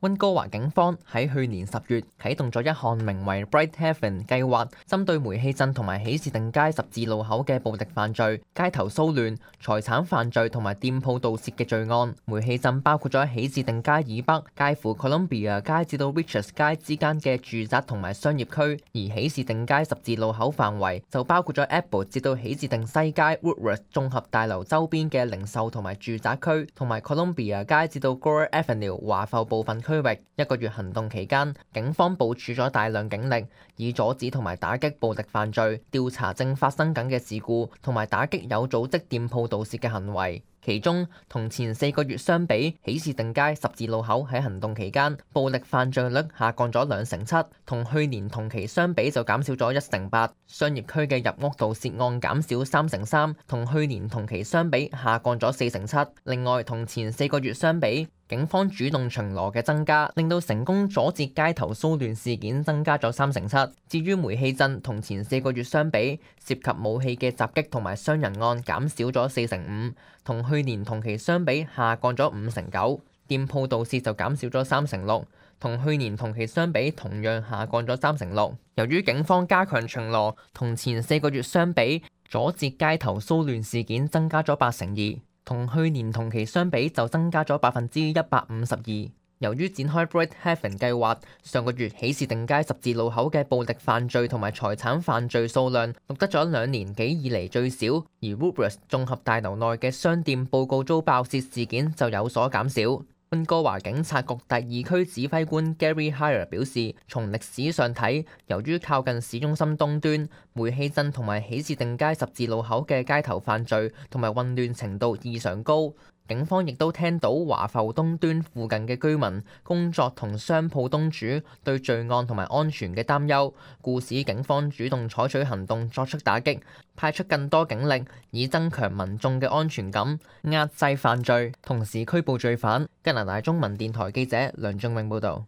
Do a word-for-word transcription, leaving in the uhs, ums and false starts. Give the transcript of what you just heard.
溫哥華警方喺去年十月啟動咗一項名為 Bright Heaven 計劃，針對煤氣鎮同埋喜事定街十字路口嘅暴力犯罪、街頭騷亂、財產犯罪同埋店鋪盜竊嘅罪案。煤氣鎮包括咗喜事定街以北介乎 Columbia 街至到 Riches 街之間嘅住宅同埋商業區，而喜事定街十字路口範圍就包括咗 Apple 至到喜事定西街 Woodworth 綜合大樓周邊嘅零售同埋住宅區，同埋 Columbia 街至到 Gore Avenue 華埠部分區域。一個月行動期間，警方部署咗大量警力，以阻止同埋打擊暴力犯罪、調查正發生緊嘅事故，同埋打擊有組織店鋪盜竊嘅行為。其中，同前四個月相比，喜事定街十字路口喺行動期間暴力犯罪率下降咗兩成七，同去年同期相比就減少咗一成八。商業區嘅入屋盜竊案減少三成三，同去年同期相比下降咗四成七。另外，同前四個月相比，警方主動巡邏嘅增加，令到成功阻截街頭騷亂事件增加咗三成七。至於煤氣鎮同前四個月相比，涉及武器嘅襲擊同埋傷人案減少咗四成五，同去年同期相比下降咗五成九。店鋪盜竊就減少咗三成六，同去年同期相比同樣下降咗三成六。由於警方加強巡邏，同前四個月相比，阻截街頭騷亂事件增加咗八成二。同去年同期相比就增加咗百分之一百五十二。由於展開 Bright Heaven 計劃，上個月喜事定街十字路口嘅暴力犯罪同埋財產犯罪數量錄得咗兩年幾以嚟最少，而 Woodworth 綜合大樓內嘅商店報告遭爆竊事件就有所減少。溫哥華警察局第二區指揮官 Gary Hire 表示，從歷史上睇，由於靠近市中心東端，煤氣鎮同埋喜事定街十字路口嘅街頭犯罪同埋混亂程度異常高。警方亦都聽到華埠東端附近嘅居民、工作同商鋪東主對罪案同埋安全嘅擔憂，故此警方主動採取行動作出打擊，派出更多警力，以增強民眾嘅安全感，壓制犯罪，同時拘捕罪犯。加拿大中文電台記者梁仲永報導。